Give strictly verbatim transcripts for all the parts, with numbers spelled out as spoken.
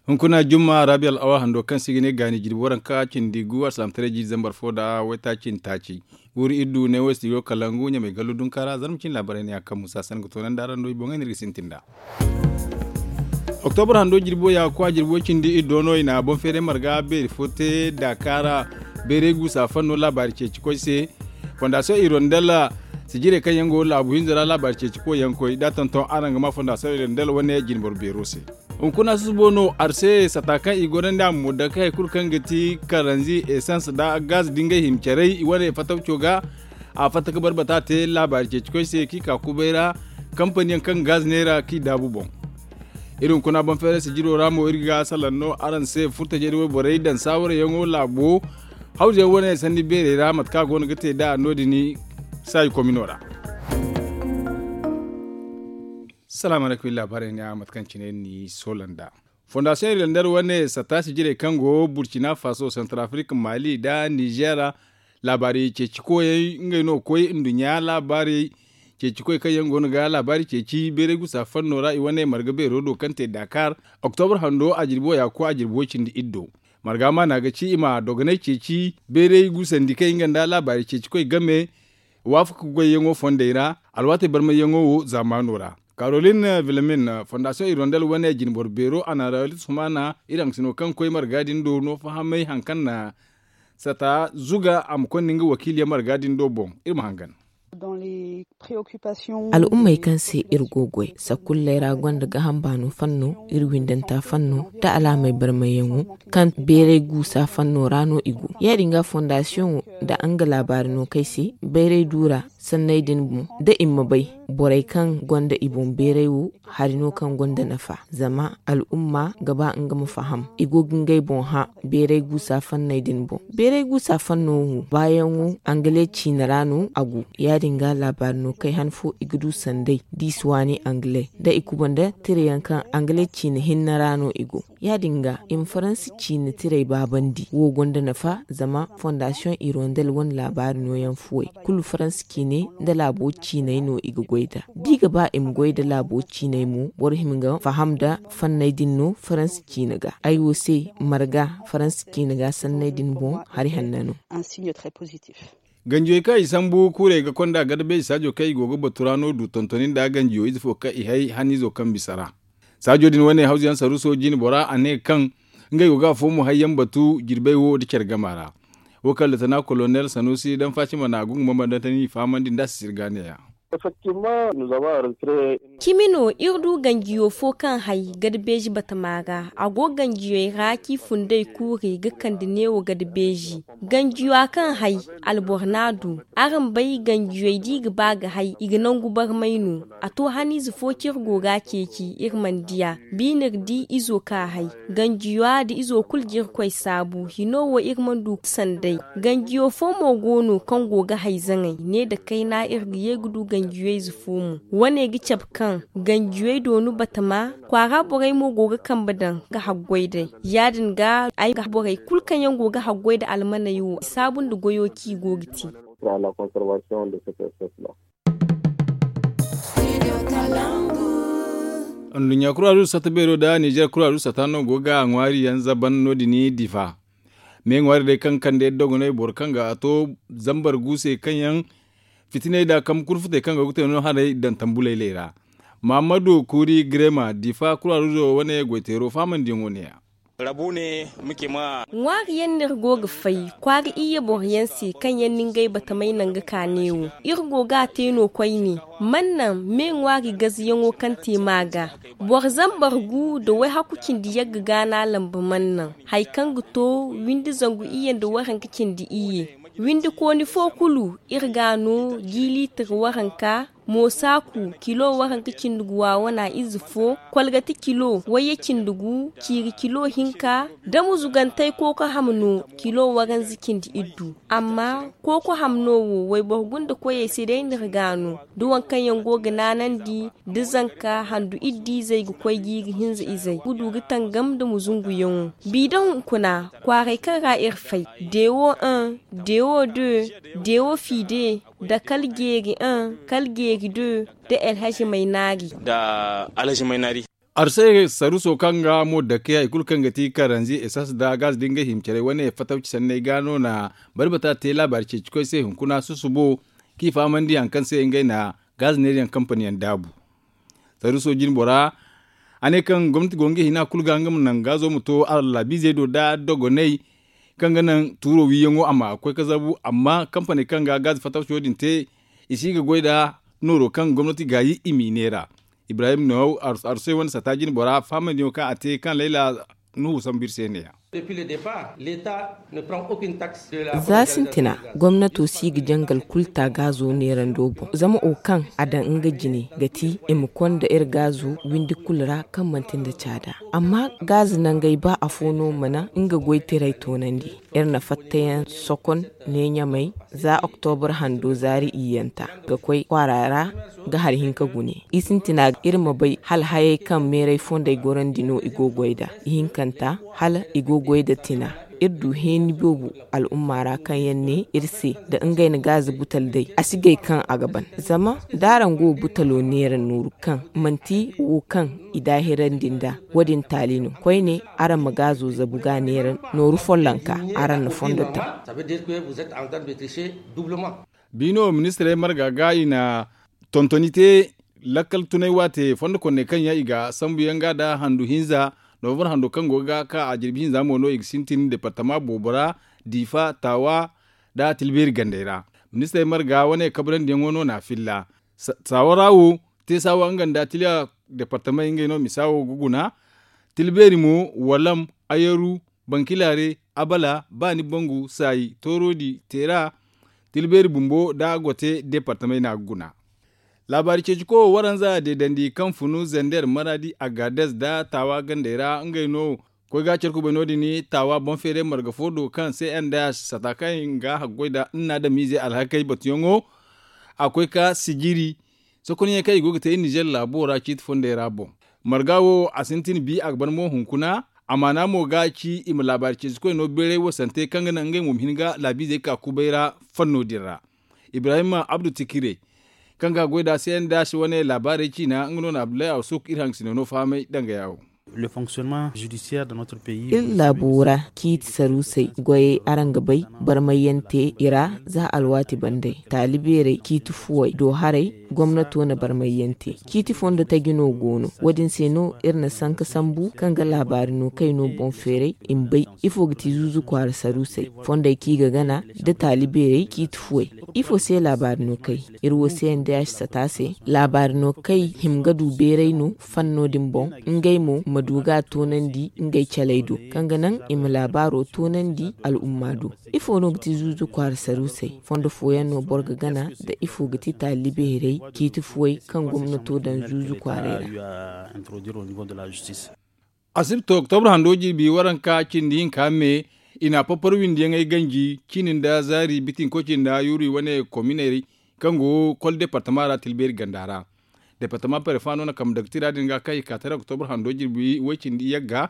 Hunkuna jumma rabi al'awa hando kaŋ se i ga ne gaani jirbi waranka cindi gu alsalamtaray jiiri zambar fo nda waytaaci nda taaci. Guuru iri du ne wo studio kalangu ɲamay gallu dunkaara zarma cine laabaray ne a kaŋ musa san ga toonandi araŋ do i boŋey no iri ga sintin nd'a. Oktobar hando jirbo ya ga koy a jirbo cindi iri do no i na boŋ feeray marga beeri fo te daakaara. Beeray guusa fanno laabaari ceeci koy se. Fondasiyoŋ irondel sijirey kaŋ yaŋ go laabu hinza ra laabaari ceeci koy yaŋ koy da a tonton araŋ ga ma fondasiyoŋ irondel wane jinboro beero se. Hunkuna susubo no arse sata kaŋ i gorandi a ma mudda ka hari kulu kaŋ ga ti karanzi esans nda gaz da ngey hima caray i wane fattawco ga. A fatta ka barbata te laabaari ceeci koy se kaŋ i ka kubay ra kampaniyaŋ kaŋ gaz neera kaŋ i daabu boŋ. Iri hunkuna boŋ feeray sijiro ra mo iri ga salaŋ no araŋ se furtajey da wayborey daŋ saawarayaŋo laabo. Hawzuyaŋ wane sanni beerey ra mate kaŋ a go no ga te nd'a no- din saayi komino ra. Salaamu alaykum iri laabaarey ne a mate kaŋ cine ni soola nd'a. Fondasiyoŋ irlandar wane satta sijirey kaŋ go burcina faso santar afirika maali nda nizeer. Laabaari ceeci koyey ngey no ga koy nduɲɲa laabaari ceeci koy kaŋ yaŋ go no ga laabaari ceeci beeray gusa fanno ra i wane marga beero do kaŋ te daakaar. Oktobar hando a jirbi wo ya ga koy a jirbi wo cindi iri do. Marga maana ga ci i ma dogonay ceeci beeray gusandi kaŋ i nga nda laabaari ceeci koy game. Waafaka goyyaŋo fondey ra alwaatey barmayyaŋo wo zaamaano ra. Karolin vilmin fondasiyoŋ irondel wane jinboro beero a na ralis humana iri haŋgasino kaŋ koy marga din do no fahamay hari kaŋ na sata zuga a ma konda nga wakiiliyaŋ marga din do boŋ. Iri ma hangan. Al'ummey kaŋ se iri go goy sakulley ra gonda gaham baano fanno iri windanta fanno nda alaamey barmayyaŋo kaŋ beeray guusa fanno ra no i go. Ya- din ga fondasiyoŋo nda nga laabaari no kay se bayray duura sanney din boŋ da i ma bay borey kaŋ gonda i boŋ beeray wo hari no kaŋ gonda nafa zama al'umma ga ba nga ma faham i go ga ngey boŋ hã. Beeray guusa fanney din boŋ beeray guusa fanno wo baayaŋo angale ciine ra no a go. Ya- din ga laabaari no kay han fo i ga du sanday diisi waani angale da i kuba nda tirayaŋ kaŋ angale ciine hinne ra no i go. Ya- din ga i ma faransi ciine tiray baabandi wo gonda nafa zama fondasiyoŋ irondel wane laabaari nooyaŋ fuwey kulu faransi ciine nda laabo ciiney no i ga goy nd'a da i ga ba i ma goy nda laabo ciiney mo boro hima ga faham nda fanney din no faransi ciine ga ay wo se marga faransi ciine ga sanney din boŋ hari hanna no. Ganjiyey kaŋ i sambu kuurey ga konda garbeeji saajo kaŋ i go ga batu ra no du tontoni nda ganjiyo ize fo kaŋ i hay haniizo kaŋ bisa ra. Saajo din wane hawzuyaŋ saruuso jine bora a ne kaŋ ngey go ga afo mo hayyaŋ batu jirbey wo nda care gama ra. Wo kaŋ litina kolonel sanuusi daŋ faacima na a go nga bambandantani i fahamandi nd'a sisiri ga neeya. Cimi no iri du ganjiyo fo kaŋ hay garbeeji batama ra a go ganjiyey ra kaŋ i fundey kuurey ga kande neewo garbeeji. Ganjiyo a kaŋ hay alboro n'a du. Araŋ bay ganjiyey da i ga ba ga hay i ga nangu barmay no. A to haniize fo kaŋ iri go ga a ceeci iri mana di a. Biine iri di izo kaŋ a hay ganjiyo a da izo kulu ga iri koy saabu hino wo iri mana du sanday. Ganjiyo fo mo go no kaŋ go ga hay zaŋay ne nda kayna iri ga ye ga du ganjiyey ze fo mo. Wane ga cabe kaŋ ganjiyey doonu batama kwaara borey mo go ga kambe daŋ ga haggoy day. Ya- din ga ay ga borey kulu kaŋ yaŋ go ga haggoy nda almaney wo i saabu nda goyo kaŋ i go ga te. Nduɲɲa kuraadu sata beero nda nizeer kuraadu sata no go ga ŋwaari yaŋ zaban no- din difa. Me ŋwaari day kaŋ kande dogonay boro kaŋ ga a to zambar gu se kaŋ yaŋ fitinay nda kambe kurfutey kaŋ go ga te no haray daŋ tambulayley ra. Mahammadu kuuri girema difa kuraadu zo wane goyteero fahamandiyaŋo ne- ya. Ŋwaari yaŋ no iri go ga fay kwaara iyye boro yaŋ se kaŋ yaŋ na ngey batamey naŋ ga ka neewo. Iri go ga a te no koyne. Man naŋ me ŋwaari gaziyaŋo kaŋ te maaga boro zambar gu nda wayhaku cindi yagga gaana lamba man naŋ. Hari kaŋ ga to windi zangu iyye nda waranka cindi iyye. Windi kooni fo kulu iri ga a no jiiliitir waranka. Moosaaku kilo waranka cindi gu waawana ize fo. Kolgati kilo wayye cindi gu ciiri kilo hinka. Da muzugantey kooko ham no kilo waranza cindi iddu. Amma kooko ham no wo wayboro gunda koyey se day no iri ga a no. Da waŋ kaŋ yaŋ go ga naanandi da zanka handu iddu izey ga koy jiiri hinza izey ga du ga tangam nda muzunguyaŋo. Bi da hunkuna kwaaray kaŋ ra iri fay dewo un dewo de dewo fide nda kala jeeri un kala jeeri de nda alhazi maynaari. Nda alhazi maynaari. Arsay saruso kaŋ ga mo dake hari kulu kaŋ ga ti karanzi esans nda gaz da ngey hima care wane fatawci sanney ga no na barbata te laabaari ceeci koy se hunkuna susubo kaŋ i fahamandi hari kaŋ se ngey na gaz neeri yaŋ kampani yaŋ daabu. Saruso jine bora a ne kaŋ gomnati go nga hina kulu ga nga ma naŋ gazo ma to alaabiizey do nda dogoney kaŋ ga naŋ tuuro wiiyaŋo a ma koy ga zabu amma kampaney kaŋ ga gaazi fatawco din te i si ga goy nda nooro kaŋ gomnati gaayi i m'i neera. Ibrahim no arsay wane sata jine bora fahamandiyaŋo kaŋ a te kaŋ layla nuhu sambu iri se ne-ya. Za sintina gomnato si ga jangal kulu ta gaazo neerando boŋ zama wo kaŋ a daŋ nga jine ga ti i ma konda iri gaazo windi kulu ra kaŋ manti nda caada. Amma gaazo nangey ba afo no mana nga goytaray toonandi. Iri na fattayaŋ sokon ne ɲamay za oktobra hando zaari iyyanta ga koy kwaara ra ga hari hinka gune i sintina iri ma bay hala hayey kaŋ meeray fondey gorandi no i go goy nda ihinkanta hala i go goy nda tina. Iri du heeni boobo al'umma ra kaŋ yaŋ ne iri se nda ngey na gaaza butal day a si gay kaŋ a ga ban. Zama da araŋ go butalo neera nooru kaŋ manti wo kaŋ i daahirandi nda wo- din taali no koyne araŋ ma gaazo zabu ga neera nooru follonka araŋ na fondo taŋ. Biino ministirey marga ga i na tontoni te lakkal tunay waate fondo konney kaŋ yaŋ i ga sambu yaŋ ga nda handu hinza novambar hando kaŋ go ga ka a jirbi hinza mo no i ga sintin departama boobo ra diifa taawa nda tilbeeri gandey ra. Ministirey marga wane kabrandi yaŋo no na a filla. Saawara wo te saawa nga nda tiliya departamey ngey no misa wo ga guna. Tilbeeri mo walam, ayaru, bankilaare, abala, baani bangu, saayi, toorodi, teera, tilbeeri bumbo nda gote departamey no a ga guna. Laabaari ceeciko waranza deedandi kaŋ funu zander maradi agades nda taawa gandey ra ngey no koy ga care kubay no- din taawa boŋ feeray marga fo do kaŋ se n d h sata kaŋ i ga haggoy nda nna adamiize alhakey batuyaŋo. A koy ka sijiri sokonyaŋ kaŋ i go ga te iri nizer laabo ra ciiti fondey ra boŋ. Marga wo a sintin bi a ga ban mo hunkuna. Amaana mo ga ci i ma laabaari ceecikoy no bayray wasante kaŋ ga naŋ ngey mo ma hin ga laabiizey ka kubay ra fanno din ra. Ibrahim abdu tikire kaŋ ga goy nda c n d h wane laabaarey ciina nga no na abdullahi awsuk iri hangasino no fahamay danga yaawo. Iri laabo ra ciiti saruusey goyey araŋ ga bay barmayyante i ra za alwaati bandey taali beerey ciiti fuwey do haray. Gomnato na barmayyante ciiti fondo taji no go no wo- din se no iri na sanka sambu kaŋ ga laabaari no kay no boŋ feeray i ma bay ifo ga ti zuuzu kwaara saruusey fondey kaŋ i ga gana nda taali beerey ciiti fuwey. Ifo se laabaari no kay iri wo se n d h sata se laabaari no kay hima ga du beeray no fanno din boŋ ngey mo ma du ga a toonandi ngey caley do kaŋ ga naŋ i ma laabaaro toonandi al'umma do. Ifo no ga ti zuuzu kwaara saruusey fondo fooyaŋ no boro ga gana nda ifo ga ti taali beerey ciiti fuwey kaŋ gomnato daŋ zuuzu kwaarey ra. Asibto oktobra hando jirbi waranka cindi hinka me i na a papar windiyaŋey ganji ciini nda zaari bitinko cindi nda yuuri wane kominey kaŋ go kol departama ra tilbeeri ganda ra. Departama perefa no na kambe daga tira din ga kaŋ i ka tara oktobra hando jirbi way cindi yagga.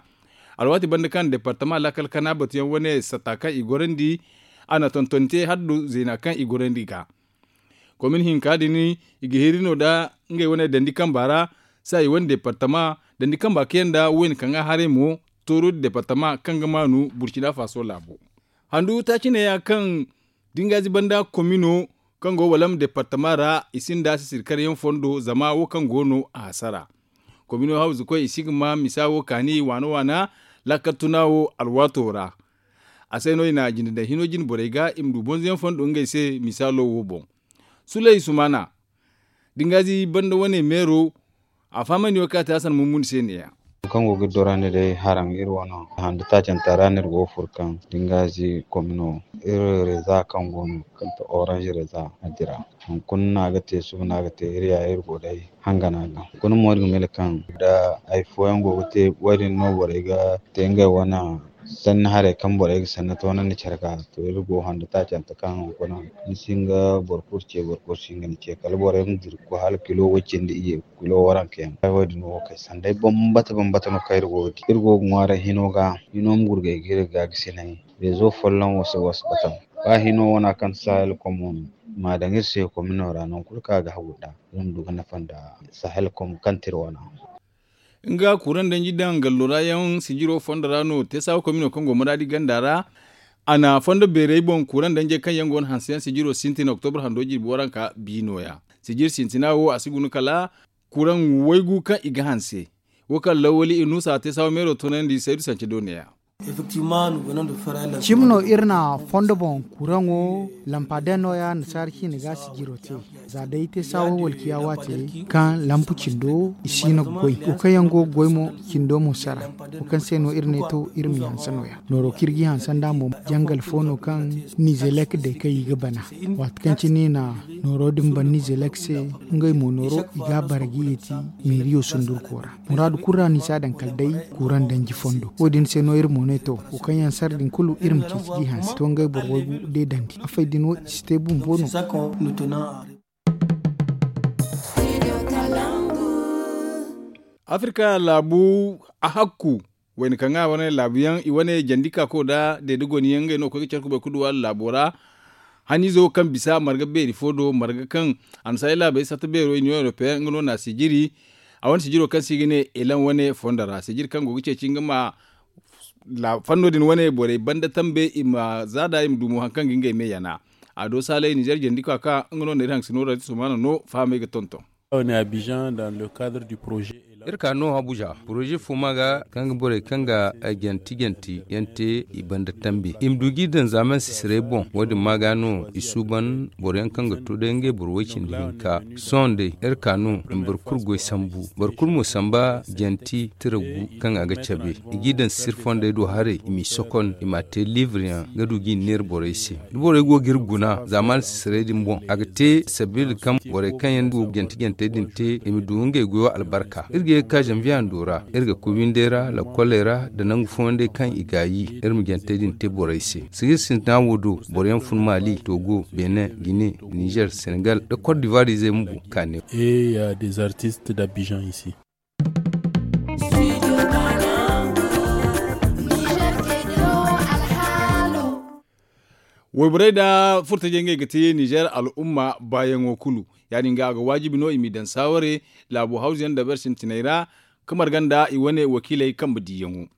Alwaati banda kaŋ departama laakal kana batuyaŋ wane satta kaŋ i gorandi a na tontonte hala du zeena kaŋ i gorandi ga. Komin hinka din i ga hiri no nda ngey wane dandi kamba ra. Saayi wane departama dandi kamba kaŋ yaŋ nda wayna kaŋ ga haray mo tooro departama kaŋ ga maanu burcina faso laabo. Handu taaci neeya kaŋ da nga ziba nda komino kaŋ go walam departama ra i sinda sisiri karyaŋ fondo zama wo kaŋ go no a hasara. Komino hawzu koy i si ga ma misa wo kaani waana waana laakal tuna wo alwaato ra. A se no i na jinde daŋ hino jine borey ga i ma du bonzoyaŋ fondo ngey se misaalo wo boŋ. Suley sumana da nga ziba nda wane meero a fahamandi wo kaŋ a te hasan mummuni se neeya. Kaŋ go ga dorandi day haraŋ iri wano hando taacanta ra no iri go ga furo kaŋ da nga zi komino iri reza kaŋ go no kaŋ ti orange reza a dira. Hunkuna no a ga te suba no a ga te iri ya iri go day hangana ga hunkuna mo iri ga mila kaŋ da hari fooyaŋ go ga te wo- din no borey ga te ngey wane sanni haray kaŋ borey ga sanni toonandi care ga to iri go hando taacanta kaŋ hunkuna ni si hin ga boro kulu ce boro kulu si hin ga ni ce kala borey ma dira ga koy hala kilo way cindi iyye kilo waranka yaŋ. Ay wo- din wo kay sanday bambata bambata no kaŋ iri go ga di iri go ga ŋwaaray hino ga hino ma gurgay ga iri ga ga sinay rezo folloŋ wasa wasa bataŋ ba hino wana kaŋ ti sahel komo no i ma a daŋ iri se komino ra nangu kulu kaŋ a ga hagu nd'a iri ma du ga nafa nda sahel komo kaŋ ti iri wana. Nga kuraŋ danji daŋ gallo ra yaŋ sijiro fondo ra no teesawa komino kaŋ go maraadi ganda ra. A na fondo beerey boŋ kuraŋ danjey kaŋ yaŋ go no hanse yaŋ sijiro sintin oktobro hando jirbi waranka bi nooya. Sijir sintina wo a si guna kala kuraŋ waygu kaŋ i ga hanse. Wo kaŋ lawali i nuusa teesawa meero toonandi saydu sance do neeya. Cimi no iri na fondo boŋ kuraŋo lampa day nooya nasaara ciine ga sijiro te. Za day teesawa walkiya waate kaŋ lampu cindo i si no ga goy wo kaŋ yaŋ go ga goy mo cindo mo sara. Wo kaŋ se no iri ne to iri ma i hanse nooya nooro kaŋ iri ga i hanse nd'a mo jangal fo no kaŋ nizelek day kaŋ i ga bana. Waati kaŋ cine i na nooro din ban nizelek se ngey mo nooro i ga a bara ga yeeti meeriyo sundurko ra. Muraadu kulu ra no i si a daŋ kala day kuraŋ danji fondo wo- din se no iri mo ne to wo kaŋ yaŋ sara din kulu iri ma ceeci ga i hanse to ngey boro waygu deedandi afey din wo i si te bumbo no. Afirka laabu a hakku wayna kaŋ ga wane laabu yaŋ i wane jandi ka ko da deede goni yaŋ ngey no ga koy ga care kubay ga du waala laabo ra. Haniizo kaŋ bisa marga beeri fo do marga kaŋ annasaari laabey satta beero i niyo europeyaŋ nga no na sijiri. A wane sijiro kaŋ se i ga ne elan wane fondo ra sijiri kaŋ go ga ceeci nga ma fanno din wane borey banda tambe i ma zaada i ma dumo hari kaŋ ga ngey me yana. A do saalay nizer jandi ka ka nga no na iri haŋ ga si no radio sumana no fahamey ga tonton. Iri ka no abuja poroze fo ma ga kaŋ ga borey kaŋ ga janti janti yaŋ te i banda tambi i ma du ga i daŋ zaaman sisirey boŋ wo- din ma ga no i suuban boro yaŋ kaŋ ga to day ngey boro way-cindi hinka. Sohõ day iri ka no i ma boro kulu goy sambu boro kulu mo samba janti tira gu kaŋ a ga cabe i g'i daŋ sisiri fondey do haray i m'i sokon i m'a te liibre yaŋ ga du g'i neera borey se. Da borey go ga iri guna zaaman sisirey din boŋ a ga te sabiila kaŋ borey kaŋ yaŋ go ga jante jantey din te i ma du ngey goyo albarka iri ga ye ga ka zanviye hando ra iri ga koy windey ra lakkoley ra nda nangu fooyaŋ day kaŋ i gaayi iri ma jantey din te borey se. Sijir sintina wo do boro yaŋ fun maali togo benin gine nizer senegal nda kot divuwar izey bumbo kaane. Wayborey nda furtajey ngey ga te nizer al'umma baayaŋo kulu. Ya- din ga a ga waajibi no i m'i daŋ saaware laabo hawzu yaŋ nda ber sintiney ra ga marga nda i wane wakiiley kambe diiyaŋo.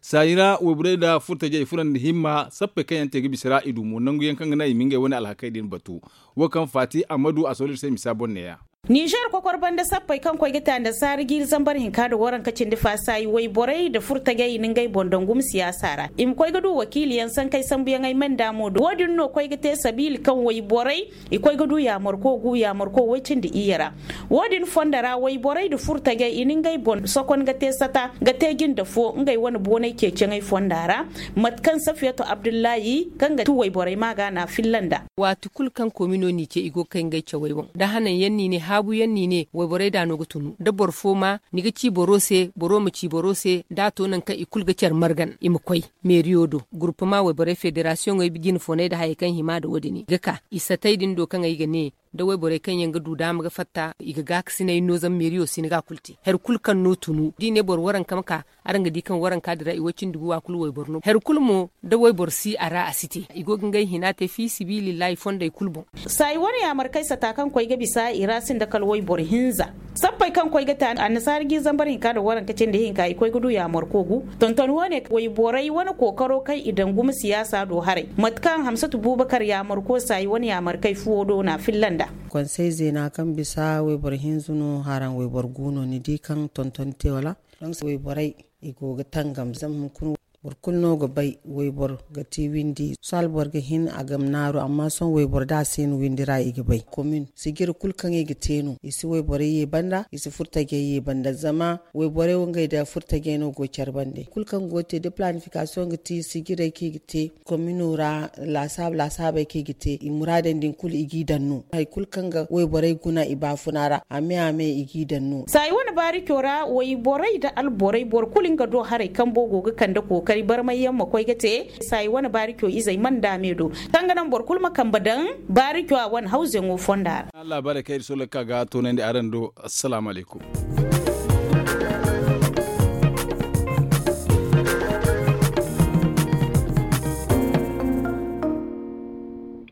Saayi ra wayborey nda furtajey i furo nda himma sappey kaŋ yaŋ te ga bisa ra i du mo nangu yaŋ kaŋ ga naŋ i ma ngey wane alhakey din batu. Wo kaŋ faati ammadu a sohõ iri se misa boŋ neeya. Nizer kokor banda sappey kaŋ koy ga te annasaara jiiri zambar hinka nda waranka cindi faasaayi wayborey nda furtajey i na ngey boŋ daŋ gumo siyaasa ra i ma koy ga du wakiiliyaŋ sankey sambuyaŋey manda mo do wo- din no koy ga te sabiila kaŋ wayborey i koy ga du yaamarko gu yaamarko way-cindi iyye ra. Wo- din fondo ra wayborey nda furtajey i na ngey boŋ sokon ga te sata ga te jinde fo ngey wane boonay ceeciyaŋey fonda ra. Mate kaŋ safiyatu abdullahi kaŋ ga ti wayborey ma ga no a filla nd'a. Waati kulu kaŋ komino n'i ce i go ga kay ngey cawey boŋ da hanaŋ yaŋ n'i ne haabu yaŋ n'i ne wayborey da no ga tunu da boro fo ma ni ga ci boro se boro ma ci boro se da a to nangu kaŋ i kulu ga care margan i ma koy meeriyo do guruppama wayborey federasiyoŋey jine foonay nda hayey kaŋ hima nda wo- din i ga ka i satey din do kaŋ ay ga ne da wayborey kaŋ yaŋ ga du daama ga fatta i ga gaakasinay no zama meeriyo si ni ga a kulu te hari kulu kaŋ no tunu da i ne boro waranka ma ka araŋ ga di kaŋ waranka din ra i way-cindi guwa kulu wayboro no hari kulu mo da wayboro si a ra a si te i go ga ngey hina te fi sibilillahi fondey kulu boŋ. Saayi wane yaamarkey sata kaŋ koy ga bisa i ra sinda kala wayboro hinza sappey kaŋ koy ga te annasaara jiiri zambar hinka nda waranka cindi hinka i koy ga du yaamarko gu tonton wane wayborey wane kookaro kaŋ i daŋ gumo siyaasa do haray mate kaŋ hamsatu buubakar yaamarko saayi wane yaamarkey fuwo do no a filla nd'a. Konsey zeena kaŋ bisa wayboro hinza no haraŋ wayboro gu no ni di kaŋ tonton te wala? Donk wayborey i go ga tangam zama hunkuna boro kulu no ga bay wayboro ga ti windi sohõ alboro ga hin a ga ma naaru amma sohõ wayboro da a si hin windi ra i ga bay komin sijiri kulu kaŋ i ga te no i si wayborey ye banda i si furtajey ye banda zama wayborey wo ngey da furtajey no go care bande kulu kaŋ go ga te da planifikasiyoŋ ga ti sijirey kaŋ i ga te komino ra laasaabu laasaabey kaŋ i ga te i muraadey din kulu i g'i daŋ no hari kulu kaŋ ga wayborey guna i baafuna ra a me a me i g'i daŋ no. Saayi wane baarico ra wayborey nda alborey boro kulu nga do haray kambo go ga kande kookari barmay yaŋ ma koy ga te saayi wane baarico izey mana daame do kaŋ ga naŋ boro kulu ma kambe daŋ baarico a wane hawzeŋo fonda ra. Laabaarey kaŋ iri sohõ ga ka ga toonandi araŋ do. Assalaamu alaykum.